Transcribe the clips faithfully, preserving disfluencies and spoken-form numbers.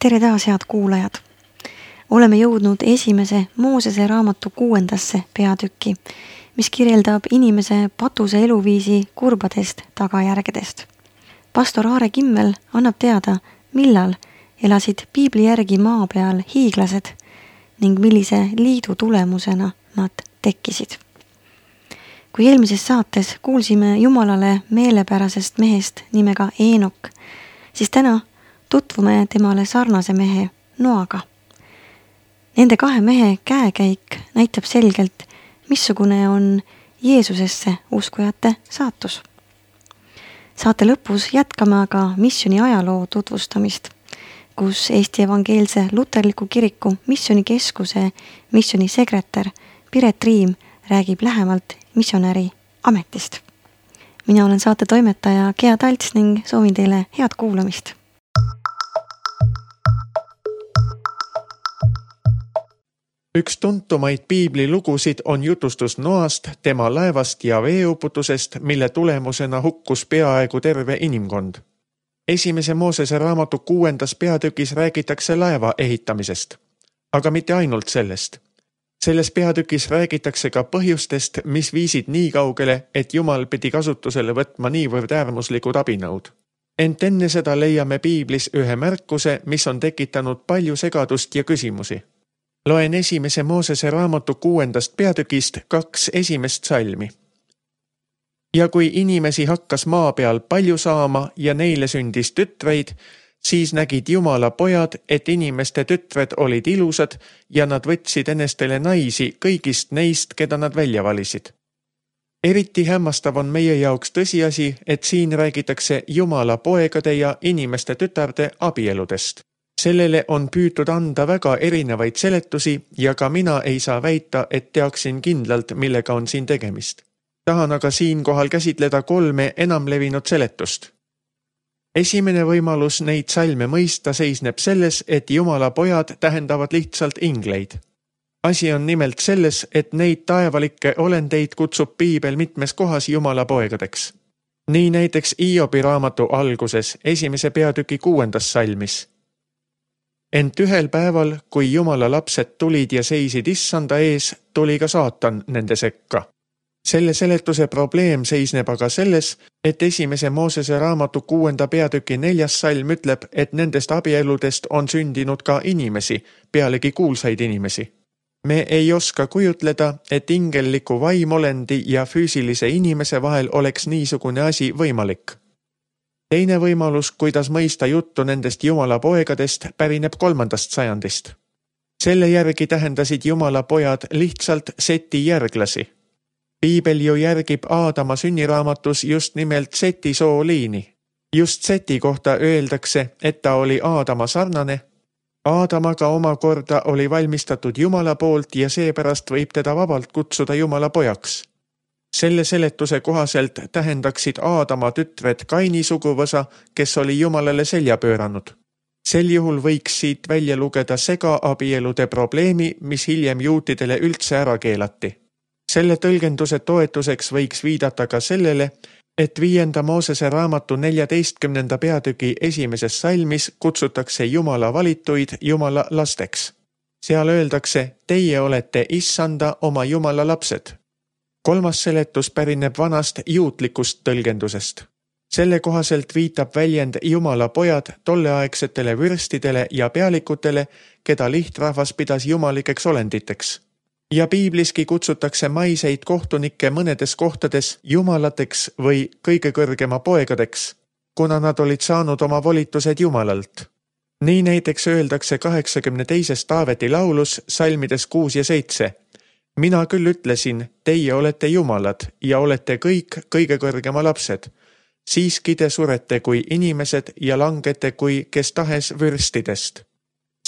Tere taas, head kuulajad! Oleme jõudnud esimese Moosese raamatu kuuendasse peatükki, mis kirjeldab inimese patuse eluviisi kurbadest tagajärgedest. Pastor Aare Kimmel annab teada, millal elasid piibli järgi maa peal hiiglased ning millise liidu tulemusena nad tekkisid. Kui eelmises saates kuulsime Jumalale meelepärasest mehest nimega Eenok, siis täna tutvume temale sarnase mehe Noaga. Nende kahe mehe käekäik näitab selgelt, missugune on Jeesusesse uskujate saatus. Saate lõpus jätkame aga missiooni ajaloo tutvustamist, kus Eesti Evangeelse Luterliku Kiriku missionikeskuse missionisekretär Piret Riim räägib lähemalt missionäri ametist. Mina olen saate toimetaja Gea Talts ning soovin teile head kuulamist. Üks tuntumaid piiblilugusid on jutustus Noast, tema laevast ja veeuputusest, mille tulemusena hukkus peaaegu terve inimkond. Esimese Moosese raamatu kuuendas peatükis räägitakse laeva ehitamisest, aga mitte ainult sellest. Selles peatükis räägitakse ka põhjustest, mis viisid nii kaugele, et Jumal pidi kasutusele võtma niivõrd äärmuslikud abinõud. Ent enne seda leiame piiblis ühe märkuse, mis on tekitanud palju segadust ja küsimusi. Loen esimese Moosese raamatu kuuendast peatükist kaks esimest salmi. Ja kui inimesi hakkas maa peal palju saama ja neile sündis tütreid, siis nägid Jumala pojad, et inimeste tütred olid ilusad ja nad võtsid enestele naisi kõigist neist, keda nad välja valisid. Eriti hämmastav on meie jaoks tõsiasi, et siin räägitakse Jumala poegade ja inimeste tütarde abieludest. Sellele on püütud anda väga erinevaid seletusi ja ka mina ei saa väita, et teaksin kindlalt, millega on siin tegemist. Tahan aga siinkohal käsitleda kolme enamlevinud seletust. Esimene võimalus neid salme mõista seisneb selles, et Jumala pojad tähendavad lihtsalt ingleid. Asi on nimelt selles, et neid taevalikke olendeid kutsub piibel mitmes kohas Jumala poegadeks. Nii näiteks Iobi raamatu alguses, esimese peatüki kuuendas salmis. Ent ühel päeval, kui Jumala lapsed tulid ja seisid issanda ees, tuli ka saatan nende sekka. Selle seletuse probleem seisneb aga selles, et esimese Moosese raamatu kuuenda peatüki neljas salm ütleb, et nendest abieludest on sündinud ka inimesi, pealegi kuulsaid inimesi. Me ei oska kujutleda, et ingelliku vaimolendi ja füüsilise inimese vahel oleks niisugune asi võimalik. Teine võimalus, kuidas mõista juttu nendest Jumala poegadest, pärineb kolmandast sajandist. Selle järgi tähendasid Jumala pojad lihtsalt Seti järglasi. Piibel ju järgib Aadama sünniraamatus just nimelt Seti sooliini. Just Seti kohta öeldakse, et ta oli Aadama sarnane. Aadamaga omakorda oli valmistatud Jumala poolt ja seepärast võib teda vabalt kutsuda Jumala pojaks. Selle seletuse kohaselt tähendaksid Aadama tütred Kaini suguvõsa, kes oli Jumalale selja pööranud. Sel juhul võiks siit välja lugeda segaabielude probleemi, mis hiljem juutidele üldse ära keelati. Selle tõlgenduse toetuseks võiks viidata ka sellele, et viienda Moosese raamatu neljateistkümnenda peatüki esimeses salmis kutsutakse Jumala valituid Jumala lasteks. Seal öeldakse, teie olete issanda oma Jumala lapsed. Kolmas seletus pärineb vanast juutlikust tõlgendusest. Selle kohaselt viitab väljend Jumala pojad tolleaegsetele vürstidele ja pealikutele, keda lihtrahvas pidas jumalikeks olenditeks. Ja piibliski kutsutakse maiseid kohtunikke mõnedes kohtades jumalateks või kõige kõrgema poegadeks, kuna nad olid saanud oma volitused Jumalalt. Nii näiteks öeldakse kaheksakümne teises Taaveti laulus salmides kuus ja seitse. Mina küll ütlesin, teie olete jumalad ja olete kõik kõige kõrgema lapsed. Siiski te surete kui inimesed ja langete kui kes tahes vürstidest.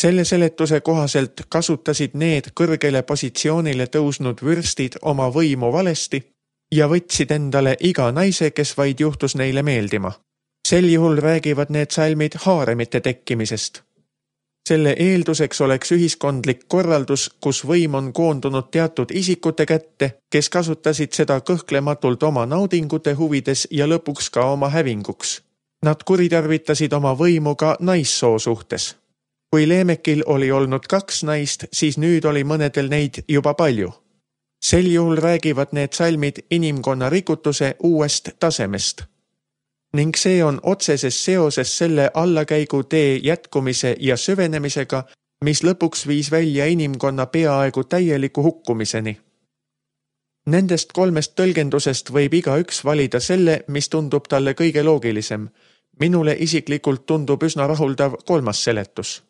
Selle seletuse kohaselt kasutasid need kõrgele positsioonile tõusnud vürstid oma võimu valesti ja võtsid endale iga naise, kes vaid juhtus neile meeldima. Sel juhul räägivad need salmid haaremite tekkimisest. Selle eelduseks oleks ühiskondlik korraldus, kus võim on koondunud teatud isikute kätte, kes kasutasid seda kõhklematult oma naudingute huvides ja lõpuks ka oma hävinguks. Nad kuritarvitasid oma võimu ka naissoo suhtes. Kui Leemekil oli olnud kaks naist, siis nüüd oli mõnedel neid juba palju. Sel juhul räägivad need salmid inimkonna rikutuse uuest tasemest. Ning see on otseses seoses selle allakäigu tee jätkumise ja süvenemisega, mis lõpuks viis välja inimkonna peaaegu täieliku hukkumiseni. Nendest kolmest tõlgendusest võib igaüks valida selle, mis tundub talle kõige loogilisem. Minule isiklikult tundub üsna rahuldav kolmas seletus.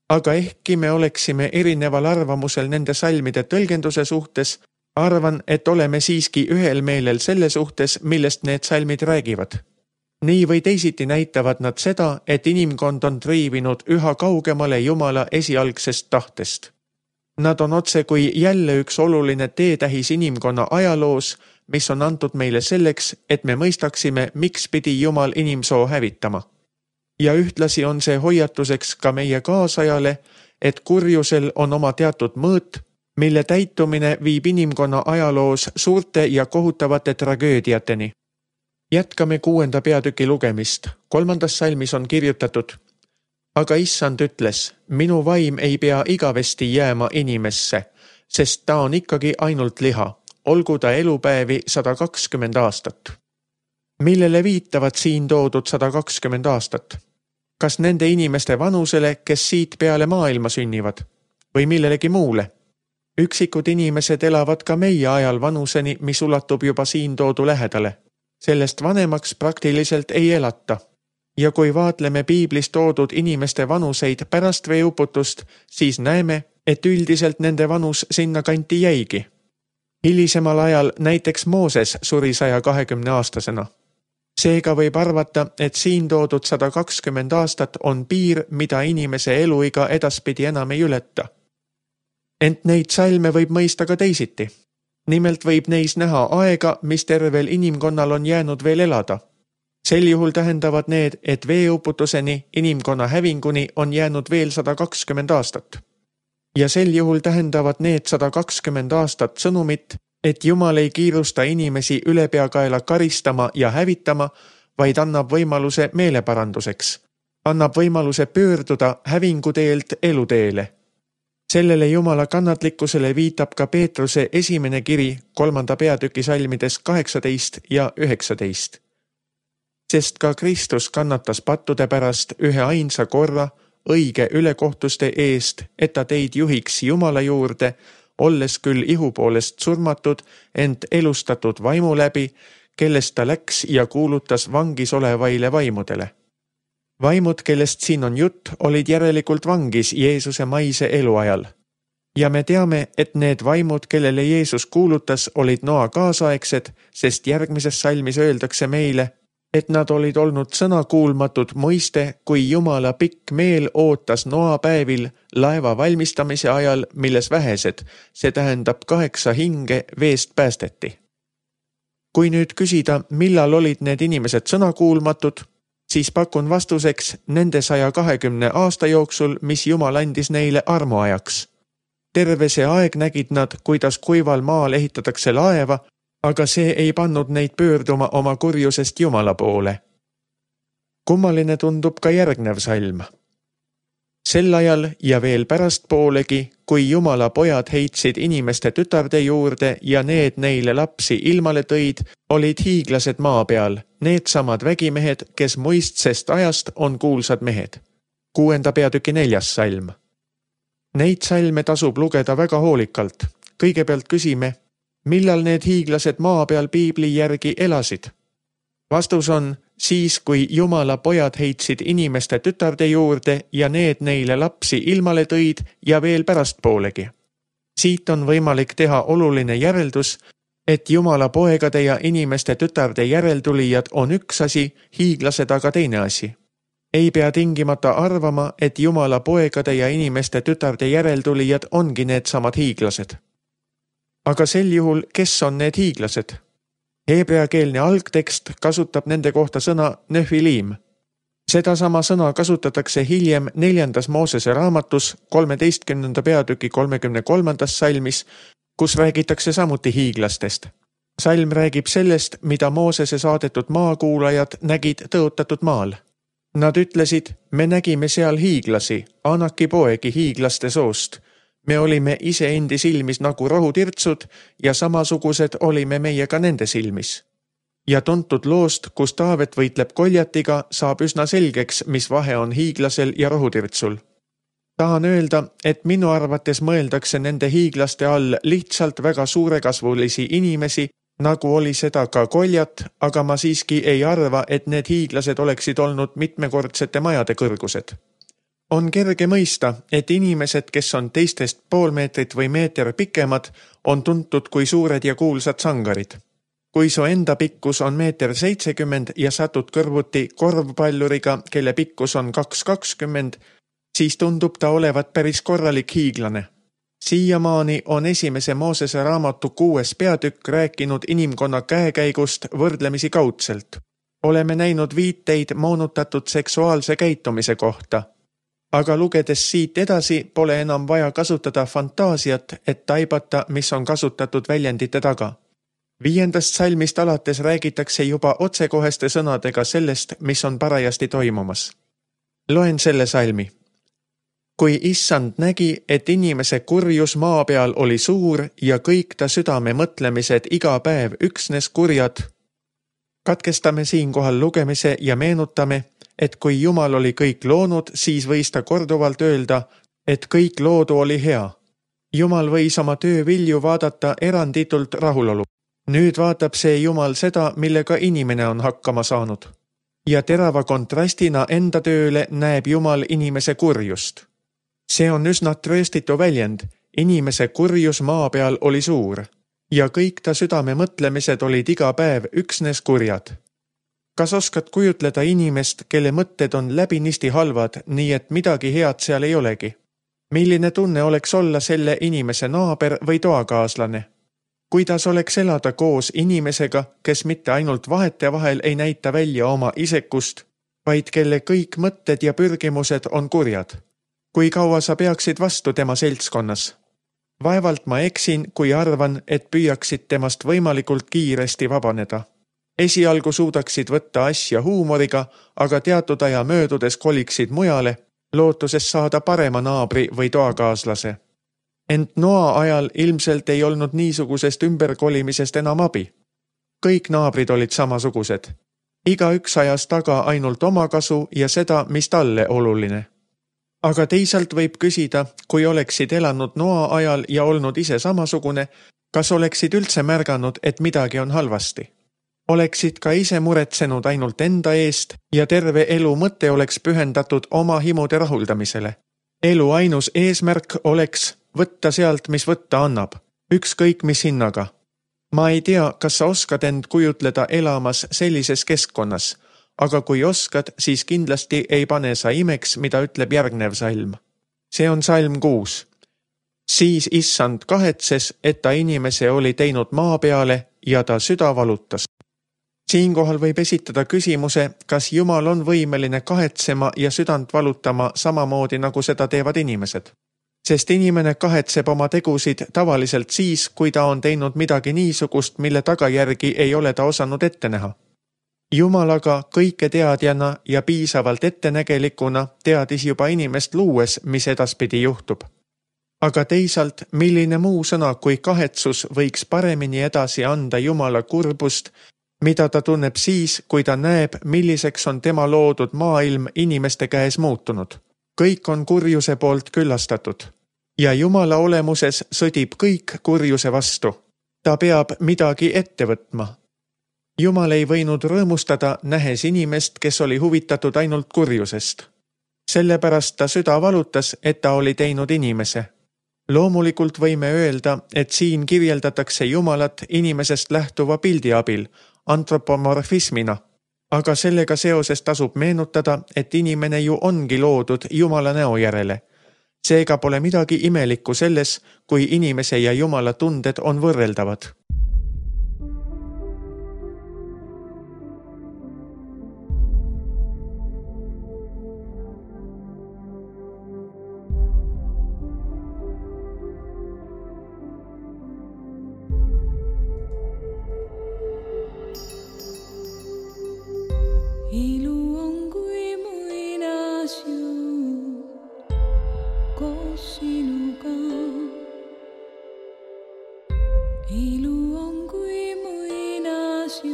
Aga ehkki me oleksime erineval arvamusel nende salmide tõlgenduse suhtes, arvan, et oleme siiski ühel meelel selle suhtes, millest need salmid räägivad. Nii või teisiti näitavad nad seda, et inimkond on triivinud üha kaugemale Jumala esialgsest tahtest. Nad on otse kui jälle üks oluline teetähis inimkonna ajaloos, mis on antud meile selleks, et me mõistaksime, miks pidi Jumal inimsoo hävitama. Ja ühtlasi on see hoiatuseks ka meie kaasajale, et kurjusel on oma teatud mõõt, mille täitumine viib inimkonna ajaloos suurte ja kohutavate tragöödiateni. Jätkame kuuenda peatüki lugemist. Kolmandas salmis on kirjutatud: Aga issand ütles, minu vaim ei pea igavesti jääma inimesse, sest ta on ikkagi ainult liha, olgu ta elupäevi sada kakskümmend aastat. Millele viitavad siin toodud sada kakskümmend aastat? Kas nende inimeste vanusele, kes siit peale maailma sünnivad? Või millelegi muule? Üksikud inimesed elavad ka meie ajal vanuseni, mis ulatub juba siin toodu lähedale. Sellest vanemaks praktiliselt ei elata. Ja kui vaatleme piiblis toodud inimeste vanuseid pärast veeuputust, siis näeme, et üldiselt nende vanus sinna kanti jäigi. Hilisemal ajal näiteks Mooses suri saja kahekümne aastasena. Seega võib arvata, et siin toodud sada kakskümmend aastat on piir, mida inimese eluiga edaspidi enam ei ületa. Ent neid salme võib mõista ka teisiti. Nimelt võib neis näha aega, mis tervel inimkonnal on jäänud veel elada. Sel juhul tähendavad need, et veeuputuseni, inimkonna hävinguni on jäänud veel sada kakskümmend aastat. Ja sel juhul tähendavad need sada kakskümmend aastat sõnumit, et Jumal ei kiirusta inimesi ülepeakaela karistama ja hävitama, vaid annab võimaluse meeleparanduseks. Annab võimaluse pöörduda hävinguteelt eluteele. Sellele Jumala kannatlikkusele viitab ka Peetruse esimene kiri kolmanda peatüki salmides kaheksateist ja üheksateist. Sest ka Kristus kannatas pattude pärast ühe ainsa korra õige ülekohtuste eest, et ta teid juhiks Jumala juurde, olles küll ihu poolest surmatud, ent elustatud vaimu läbi, kellest ta läks ja kuulutas vangis olevaile vaimudele. Vaimud, kellest siin on jutt, olid järelikult vangis Jeesuse maise eluajal. Ja me teame, et need vaimud, kellele Jeesus kuulutas, olid Noa kaasaegsed, sest järgmises salmis öeldakse meile, et nad olid olnud sõnakuulmatud mõiste, kui Jumala pikk meel ootas Noa päevil laeva valmistamise ajal, milles vähesed, see tähendab kaheksa hinge veest päästeti. Kui nüüd küsida, millal olid need inimesed sõnakuulmatud, siis pakun vastuseks nende saja kahekümne aasta jooksul, mis Jumal andis neile armuajaks. Terve see aeg nägid nad, kuidas kuival maal ehitatakse laeva, aga see ei pannud neid pöörduma oma kurjusest Jumala poole. Kummaline tundub ka järgnev salm. Sel ajal ja veel pärast poolegi, kui Jumala pojad heitsid inimeste tütarde juurde ja need neile lapsi ilmale tõid, olid hiiglased maa peal, need samad vägimehed, kes muistsest ajast on kuulsad mehed. Kuuenda peatüki neljas salm. Neid salme tasub lugeda väga hoolikalt. Kõigepealt küsime, millal need hiiglased maa peal piibli järgi elasid? Vastus on, siis kui Jumala pojad heitsid inimeste tütarde juurde ja need neile lapsi ilmale tõid ja veel pärast poolegi. Siit on võimalik teha oluline järeldus, et Jumala poegade ja inimeste tütarde järeltulijad on üks asi, hiiglased aga teine asi. Ei pea tingimata arvama, et Jumala poegade ja inimeste tütarde järeltulijad ongi need samad hiiglased. Aga sel juhul, kes on need hiiglased? Heebreakeelne algtekst kasutab nende kohta sõna nefiliim. Sedasama sõna kasutatakse hiljem neljandas Moosese raamatus kolmeteistkümnenda peatüki kolmekümne kolmandas salmis, kus räägitakse samuti hiiglastest. Salm räägib sellest, mida Moosese saadetud maakuulajad nägid tõotatud maal. Nad ütlesid, me nägime seal hiiglasi, Anaki poegi hiiglaste soost. Me olime ise endi silmis nagu rohutirtsud ja samasugused olime meie ka nende silmis. Ja tuntud loost, kus Taavet võitleb Koljatiga, saab üsna selgeks, mis vahe on hiiglasel ja rohutirtsul. Tahan öelda, et minu arvates mõeldakse nende hiiglaste all lihtsalt väga suurekasvulisi inimesi, nagu oli seda ka Koljat, aga ma siiski ei arva, et need hiiglased oleksid olnud mitmekordsete majade kõrgused. On kerge mõista, et inimesed, kes on teistest pool meetrit või meeter pikemad, on tuntud kui suured ja kuulsad sangarid. Kui su enda pikkus on meeter seitsekümmend ja satud kõrvuti korvpalluriga, kelle pikkus on kaks kakskümmend, siis tundub ta olevat päris korralik hiiglane. Siiamaani on esimese Moosese raamatu kuues peatükk rääkinud inimkonna käekäigust võrdlemisi kaudselt. Oleme näinud viiteid moonutatud seksuaalse käitumise kohta. Aga lugedes siit edasi pole enam vaja kasutada fantaasiat, et taibata, mis on kasutatud väljendite taga. Viiendast salmist alates räägitakse juba otsekoheste sõnadega sellest, mis on parajasti toimumas. Loen selle salmi. Kui issand nägi, et inimese kurjus maa peal oli suur ja kõik ta südame mõtlemised iga päev üksnes kurjad. Katkestame siinkohal lugemise ja meenutame, et kui Jumal oli kõik loonud, siis võis ta korduvalt öelda, et kõik loodu oli hea. Jumal võis oma töö vilju vaadata eranditult rahulolu. Nüüd vaatab see Jumal seda, millega inimene on hakkama saanud. Ja terava kontrastina enda tööle näeb Jumal inimese kurjust. See on üsna trööstitu väljend, inimese kurjus maa peal oli suur. Ja kõik ta südame mõtlemised olid iga päev üksnes kurjad. Kas oskad kujutleda inimest, kelle mõtted on läbinisti halvad, nii et midagi head seal ei olegi? Milline tunne oleks olla selle inimese naaber või toakaaslane? Kuidas oleks elada koos inimesega, kes mitte ainult vahete vahel ei näita välja oma isekust, vaid kelle kõik mõtted ja pürgimused on kurjad? Kui kaua sa peaksid vastu tema seltskonnas? Vaevalt ma eksin, kui arvan, et püüaksid temast võimalikult kiiresti vabaneda. Esialgu suudaksid võtta asja huumoriga, aga teatud aja möödudes koliksid mujale, lootuses saada parema naabri või toakaaslase. Ent Noa ajal ilmselt ei olnud niisugusest ümberkolimisest enam abi. Kõik naabrid olid samasugused. Iga üks ajas taga ainult oma kasu ja seda, mis talle oluline. Aga teisalt võib küsida, kui oleksid elanud Noa ajal ja olnud ise samasugune, kas oleksid üldse märganud, et midagi on halvasti? Oleksid ka ise muretsenud ainult enda eest ja terve elu mõte oleks pühendatud oma himude rahuldamisele. Elu ainus eesmärk oleks võtta sealt, mis võtta annab, ükskõik mis hinnaga. Ma ei tea, kas sa oskad end kujutleda elamas sellises keskkonnas, aga kui oskad, siis kindlasti ei pane sa imeks, mida ütleb järgnev salm. See on salm kuus. Siis issand kahetses, et ta inimese oli teinud maa peale ja ta süda valutas. Siinkohal võib esitada küsimuse, kas Jumal on võimeline kahetsema ja südant valutama samamoodi, nagu seda teevad inimesed. Sest inimene kahetseb oma tegusid tavaliselt siis, kui ta on teinud midagi niisugust, mille tagajärgi ei ole ta osanud ette näha. Jumal aga kõike teadjana ja piisavalt ettenägelikuna teadis juba inimest luues, mis edaspidi juhtub. Aga teisalt, milline muu sõna kui kahetsus võiks paremini edasi anda Jumala kurbust, mida ta tunneb siis, kui ta näeb, milliseks on tema loodud maailm inimeste käes muutunud. Kõik on kurjuse poolt küllastatud. Ja Jumala olemuses sõdib kõik kurjuse vastu. Ta peab midagi ette võtma. Jumal ei võinud rõõmustada, nähes inimest, kes oli huvitatud ainult kurjusest. Sellepärast ta süda valutas, et ta oli teinud inimese. Loomulikult võime öelda, et siin kirjeldatakse Jumalat inimesest lähtuva pildi abil, antropomorfismina. Aga sellega seoses tasub meenutada, et inimene ju ongi loodud Jumala näo järele. Seega pole midagi imelikku selles, kui inimese ja Jumala tunded on võrreldavad. Ilu on kui mu sinuga. Ilu on kui muinasjutt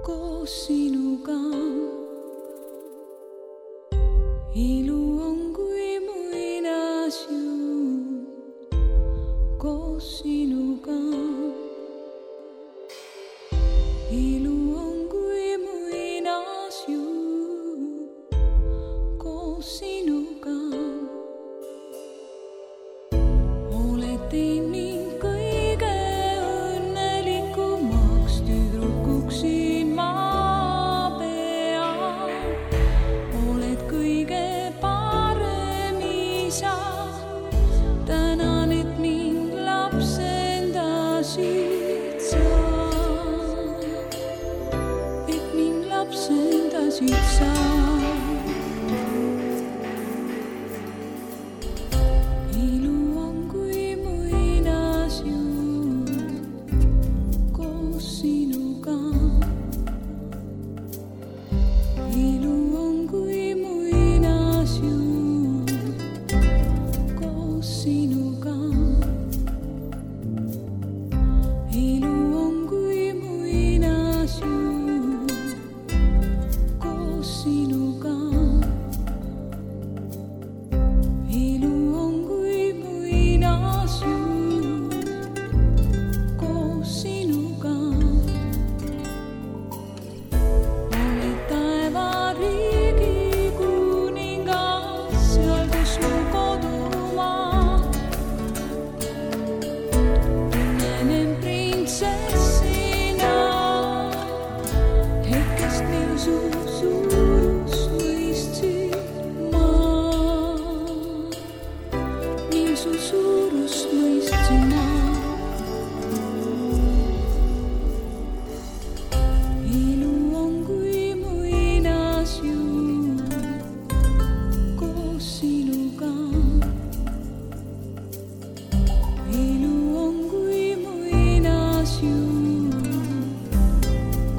koos sinuga. Ilu on kui muinasjutt koos sinuga. Ilu on kui muinasjutt koos sinuga. Oled teinud kõige õnnelikumaks tüdrukuks siin maa peal. Oled kõige parem isa. Tänan, et mind lapsendasid sa. Et mind lapsendasid sa. Ilu on kui muinasjutt koos sinuga. Ilu on kui muinasjutt koos sinuga. Ilu on kui muinasjutt koos sinuga. Ilu on kui muinasjutt koos sinuga. Oled taevariigi kuningas, seal kus mu kodumaa. Tunnen end printsessina, hetkest mil su suurust mõistsin ma. Mil su suurust mõistsin ma. Ilu on kui muinasjutt koos sinuga. Ilu on kui muinasjutt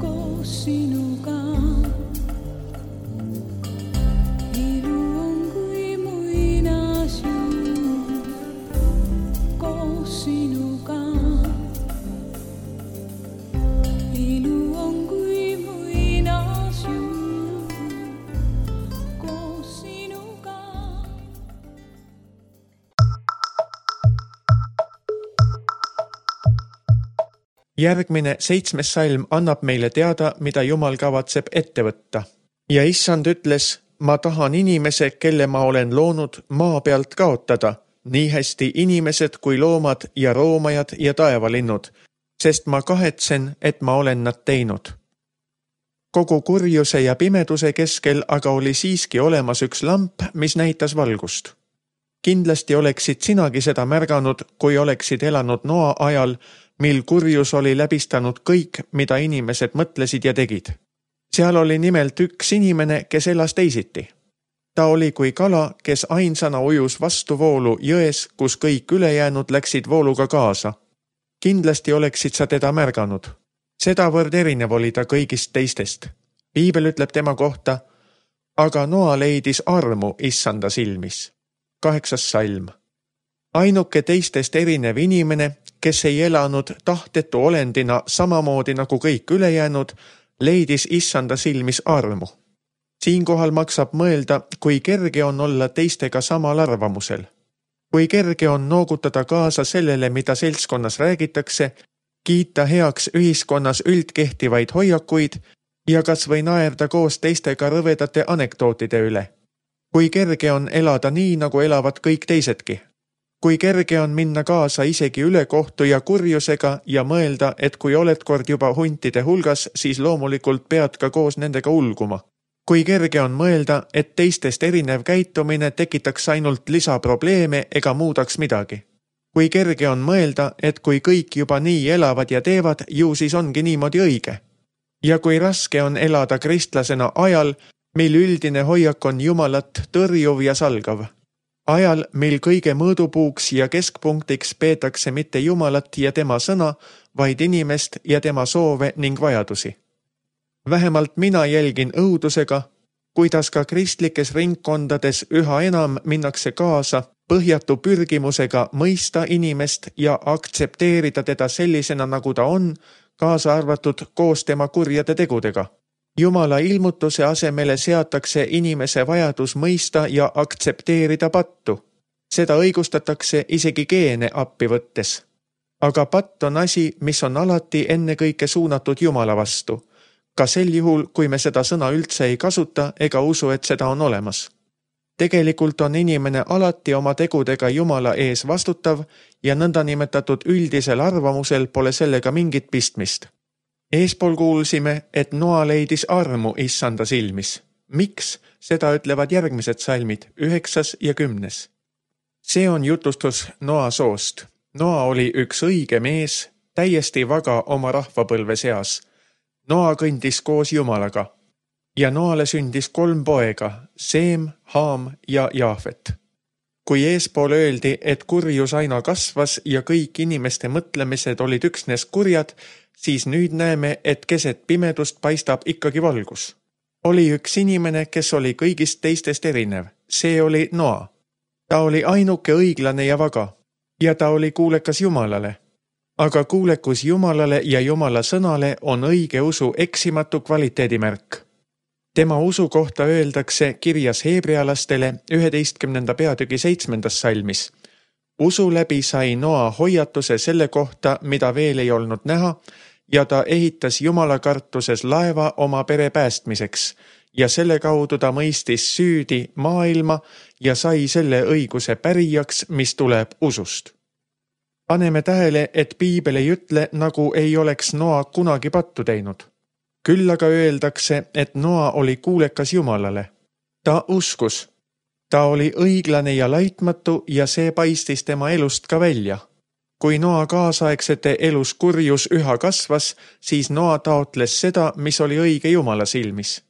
koos sinuga. Ilu on kui muinasjutt koos sinuga. Ilu on kui muinasjutt koos sinuga. Järgmine seitsmes salm annab meile teada, mida Jumal kavatseb ette võtta. Ja issand ütles, ma tahan inimese, kelle ma olen loonud, maa pealt kaotada, nii hästi inimesed kui loomad ja roomajad ja taevalinnud, sest ma kahetsen, et ma olen nad teinud. Kogu kurjuse ja pimeduse keskel aga oli siiski olemas üks lamp, mis näitas valgust. Kindlasti oleksid sinagi seda märganud, kui oleksid elanud Noa ajal, mil kurjus oli läbistanud kõik, mida inimesed mõtlesid ja tegid. Seal oli nimelt üks inimene, kes elas teisiti. Ta oli kui kala, kes ainsana ujus vastu voolu jões, kus kõik ülejäänud läksid vooluga kaasa. Kindlasti oleksid sa teda märganud. Sedavõrd erinev oli ta kõigist teistest. Piibel ütleb tema kohta, aga Noa leidis armu issanda silmis. Kaheksas salm. Ainuke teistest erinev inimene, kes ei elanud tahtetu olendina samamoodi nagu kõik ülejäänud, leidis issanda silmis armu. Siinkohal maksab mõelda, kui kerge on olla teistega samal arvamusel. Kui kerge on noogutada kaasa sellele, mida seltskonnas räägitakse, kiita heaks ühiskonnas üldkehtivaid hoiakuid ja kas või naerda koos teistega rõvedate anekdootide üle. Kui kerge on elada nii, nagu elavad kõik teisedki. Kui kerge on minna kaasa isegi ülekohtu ja kurjusega ja mõelda, et kui oled kord juba huntide hulgas, siis loomulikult pead ka koos nendega ulguma. Kui kerge on mõelda, et teistest erinev käitumine tekitaks ainult lisaprobleeme ega muudaks midagi. Kui kerge on mõelda, et kui kõik juba nii elavad ja teevad, ju siis ongi niimoodi õige. Ja kui raske on elada kristlasena ajal, mil üldine hoiak on Jumalat tõrjuv ja salgav. Ajal, mil kõige mõõdupuuks ja keskpunktiks peetakse mitte Jumalat ja tema sõna, vaid inimest ja tema soove ning vajadusi. Vähemalt mina jälgin õudusega, kuidas ka kristlikes ringkondades üha enam minnakse kaasa põhjatu pürgimusega mõista inimest ja aktsepteerida teda sellisena, nagu ta on, kaasa arvatud koos tema kurjade tegudega. Jumala ilmutuse asemele seatakse inimese vajadus mõista ja aktsepteerida pattu. Seda õigustatakse isegi geene appi võttes. Aga patt on asi, mis on alati ennekõike suunatud Jumala vastu. Ka sel juhul, kui me seda sõna üldse ei kasuta ega usu, et seda on olemas. Tegelikult on inimene alati oma tegudega Jumala ees vastutav ja nõndanimetatud üldisel arvamusel pole sellega mingit pistmist. Eespool kuulsime, et Noa leidis armu issanda silmis. Miks? Seda ütlevad järgmised salmid, üheksas ja kümnes. See on jutustus Noa soost. Noa oli üks õige mees, täiesti vaga oma rahvapõlve seas. Noa kõndis koos Jumalaga ja Noale sündis kolm poega, Seem, Haam ja Jaafet. Kui eespool öeldi, et kurjus aina kasvas ja kõik inimeste mõtlemised olid üksnes kurjad, siis nüüd näeme, et keset pimedust paistab ikkagi valgus. Oli üks inimene, kes oli kõigist teistest erinev. See oli Noa. Ta oli ainuke õiglane ja vaga ja ta oli kuulekas Jumalale. Aga kuulekus Jumalale ja Jumala sõnale on õige usu eksimatu kvaliteedimärk. Tema usu kohta öeldakse kirjas heebrealastele üheteistkümnenda peatüki seitsmendas salmis. Usu läbi sai Noa hoiatuse selle kohta, mida veel ei olnud näha, ja ta ehitas Jumala kartuses laeva oma pere päästmiseks ja selle kaudu ta mõistis süüdi maailma ja sai selle õiguse pärijaks, mis tuleb usust. Paneme tähele, et Piibel ei ütle, nagu ei oleks Noa kunagi pattu teinud. Küll aga öeldakse, et Noa oli kuulekas Jumalale. Ta uskus. Ta oli õiglane ja laitmatu ja see paistis tema elust ka välja. Kui Noa kaasaegsete elus kurjus üha kasvas, siis Noa taotles seda, mis oli õige Jumala silmis.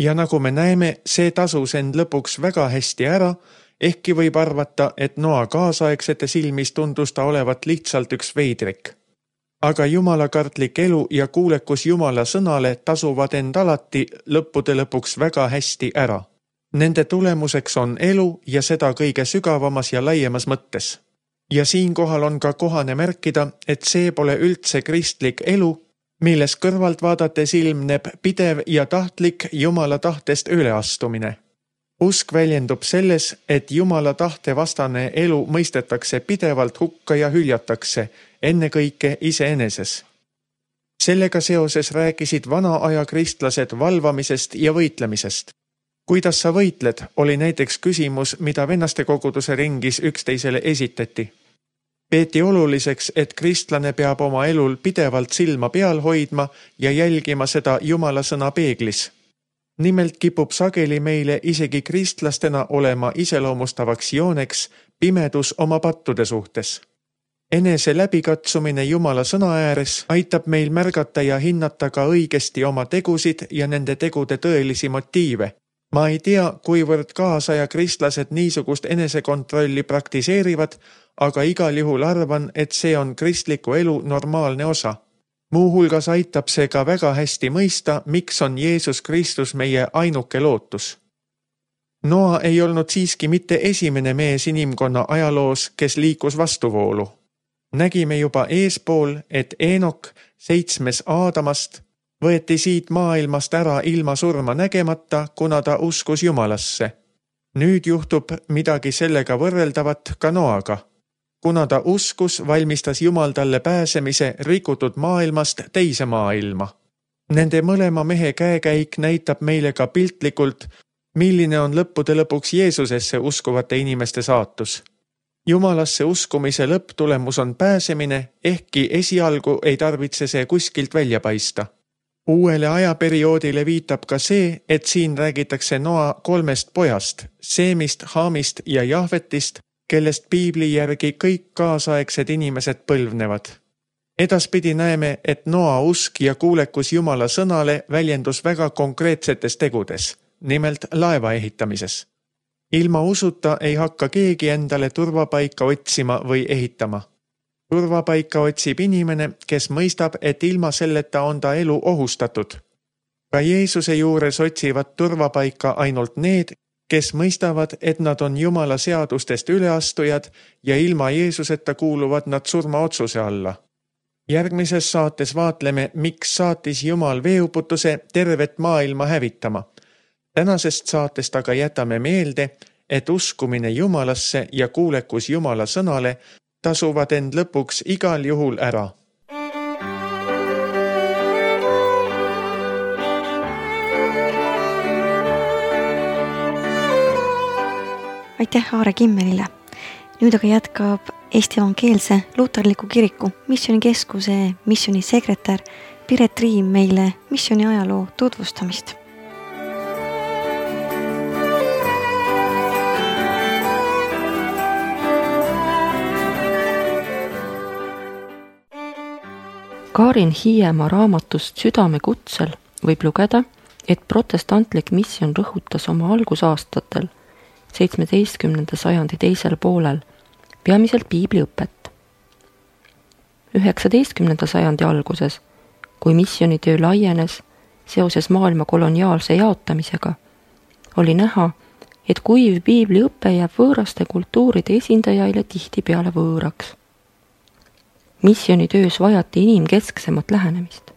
Ja nagu me näeme, see tasus end lõpuks väga hästi ära, ehkki võib arvata, et Noa kaasaegsete silmis tundus ta olevat lihtsalt üks veidrik. Aga jumalakartlik elu ja kuulekus Jumala sõnale tasuvad end alati lõppude lõpuks väga hästi ära. Nende tulemuseks on elu ja seda kõige sügavamas ja laiemas mõttes. Ja siinkohal on ka kohane märkida, et see pole üldse kristlik elu, milles kõrvalt vaadates ilmneb pidev ja tahtlik Jumala tahtest üleastumine. Usk väljendub selles, et Jumala tahte vastane elu mõistetakse pidevalt hukka ja hüljatakse, ennekõike iseeneses. Sellega seoses rääkisid vana aja kristlased valvamisest ja võitlemisest. Kuidas sa võitled, oli näiteks küsimus, mida vennaste koguduse ringis üksteisele esitati. Peeti oluliseks, et kristlane peab oma elul pidevalt silma peal hoidma ja jälgima seda Jumala sõna peeglis. Nimelt kipub sageli meile isegi kristlastena olema iseloomustavaks jooneks pimedus oma pattude suhtes. Enese läbikatsumine Jumala sõna ääres aitab meil märgata ja hinnata ka õigesti oma tegusid ja nende tegude tõelisi motiive. Ma ei tea, kuivõrd kaasaja kristlased niisugust enesekontrolli praktiseerivad, aga igal juhul arvan, et see on kristliku elu normaalne osa. Muuhulgas aitab see ka väga hästi mõista, miks on Jeesus Kristus meie ainuke lootus. Noa ei olnud siiski mitte esimene mees inimkonna ajaloos, kes liikus vastuvoolu. Nägime juba eespool, et Eenok, seitsmes Aadamast, võeti siit maailmast ära ilma surma nägemata, kuna ta uskus Jumalasse. Nüüd juhtub midagi sellega võrreldavat ka Noaga. Kuna ta uskus, valmistas Jumal talle pääsemise rikutud maailmast teise maailma. Nende mõlema mehe käekäik näitab meile ka piltlikult, milline on lõppude lõpuks Jeesusesse uskuvate inimeste saatus. Jumalasse uskumise lõpptulemus on pääsemine, ehkki esialgu ei tarvitse see kuskilt välja paista. Uuele ajaperioodile viitab ka see, et siin räägitakse Noa kolmest pojast, Seemist, Haamist ja Jaafetist, kellest Piibli järgi kõik kaasaegsed inimesed põlvnevad. Edaspidi näeme, et Noa usk ja kuulekus Jumala sõnale väljendus väga konkreetsetes tegudes, nimelt laeva ehitamises. Ilma usuta ei hakka keegi endale turvapaika otsima või ehitama. Turvapaika otsib inimene, kes mõistab, et ilma selleta on ta elu ohustatud. ka Jeesuse juures otsivad turvapaika ainult need, kes mõistavad, et nad on Jumala seadustest üleastujad ja ilma Jeesuseta kuuluvad nad surmaotsuse alla. Järgmises saates vaatleme, miks saatis Jumal veeuputuse tervet maailma hävitama. Tänasest saatest aga jätame meelde, et uskumine Jumalasse ja kuulekus Jumala sõnale tasuvad end lõpuks igal juhul ära. Aitäh Aare Kimmelile. Nüüd aga jätkab Eesti Evangeelse Luterliku Kiriku missionikeskuse missionisekretär Piret Riim meile missioni ajaloo tutvustamist. Karin Hiiemaa raamatust Südame kutsel võib lugeda, et protestantlik misjon rõhutas oma algusaastatel seitsmeteistkümnenda sajandi teisel poolel peamiselt piibliõpet. üheksateistkümnenda sajandi alguses, kui missionitöö laienes seoses maailma koloniaalse jaotamisega, oli näha, et kuiv piibliõpe jääb võõraste kultuuride esindajaile tihtipeale võõraks. Missionitöös vajati inimkesksemat lähenemist.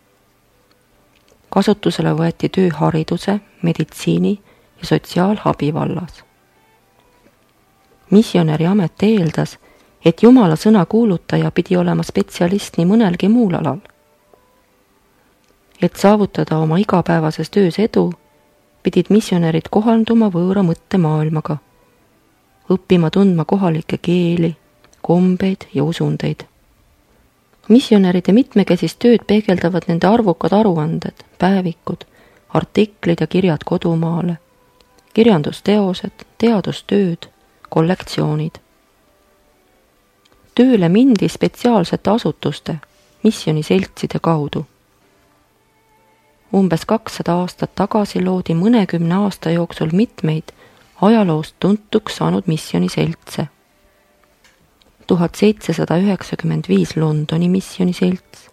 Kasutusele võeti töö hariduse, meditsiini ja sotsiaalabi vallas. Missionäri amet eeldas, et Jumala sõna kuulutaja pidi olema spetsialist nii mõnelgi muul alal. Et saavutada oma igapäevases töös edu, pidid missionärid kohanduma võõra mõttemaailmaga, õppima tundma kohalikke keeli, kombeid ja usundeid. Missionäride mitmekesist tööd peegeldavad nende arvukad aruanded, päevikud, artiklid ja kirjad kodumaale, kirjandusteosed, teadustööd, kollektsioonid. Tööle mindi spetsiaalsete asutuste, missioniseltside kaudu. Umbes kakssada aastat tagasi loodi mõnekümne aasta jooksul mitmeid ajaloost tuntuks saanud missioniseltse. tuhat seitsesada üheksakümmend viis Londoni missioniselts,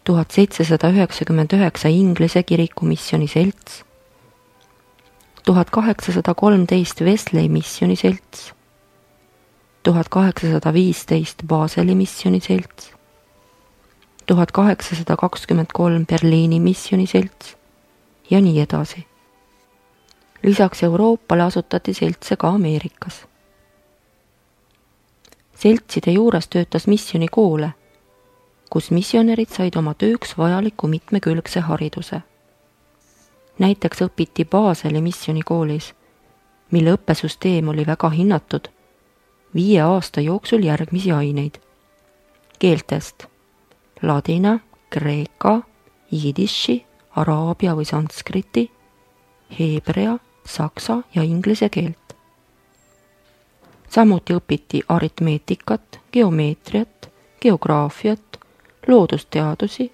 tuhat seitsesada üheksakümmend üheksa Inglise kiriku missioniselts, tuhat kaheksasada kolmteist Wesley missioniselts, tuhat kaheksasada viisteist Baseli missioniselts, tuhat kaheksasada kakskümmend kolm Berliini missioniselts ja nii edasi. Lisaks Euroopale asutati seltse ka Ameerikas. Seltside juures töötas missionikoole, kus missionärid said oma tööks vajaliku mitmekülgse hariduse. Näiteks õpiti Baseli missionikoolis, mille õppesüsteem oli väga hinnatud, viie aasta jooksul järgmisi aineid. Keeltest ladina, kreeka, jidiši, araabia või sanskriti, heebrea, saksa ja inglise keelt. Samuti õpiti aritmeetikat, geomeetriat, geograafiat, loodusteadusi,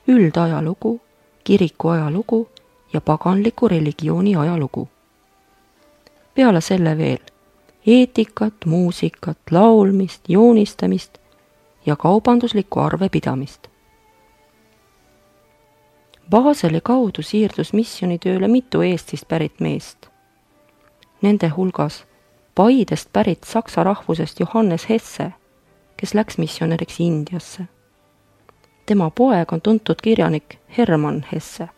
üldajalugu, kiriku ajalugu ja paganliku religiooni ajalugu. Peale selle veel eetikat, muusikat, laulmist, joonistamist ja kaubanduslikku arvepidamist. Baseli kaudu siirdus missionitööle mitu Eestist pärit meest. Nende hulgas Paidest pärit saksa rahvusest Johannes Hesse, kes läks missionäriks Indiasse. Tema poeg on tuntud kirjanik Hermann Hesse.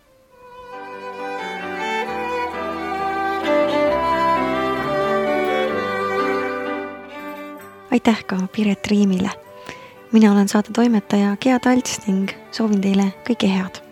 Aitäh ka Piret Riimile. Mina olen saate toimetaja Gea Talts ning soovin teile kõike head.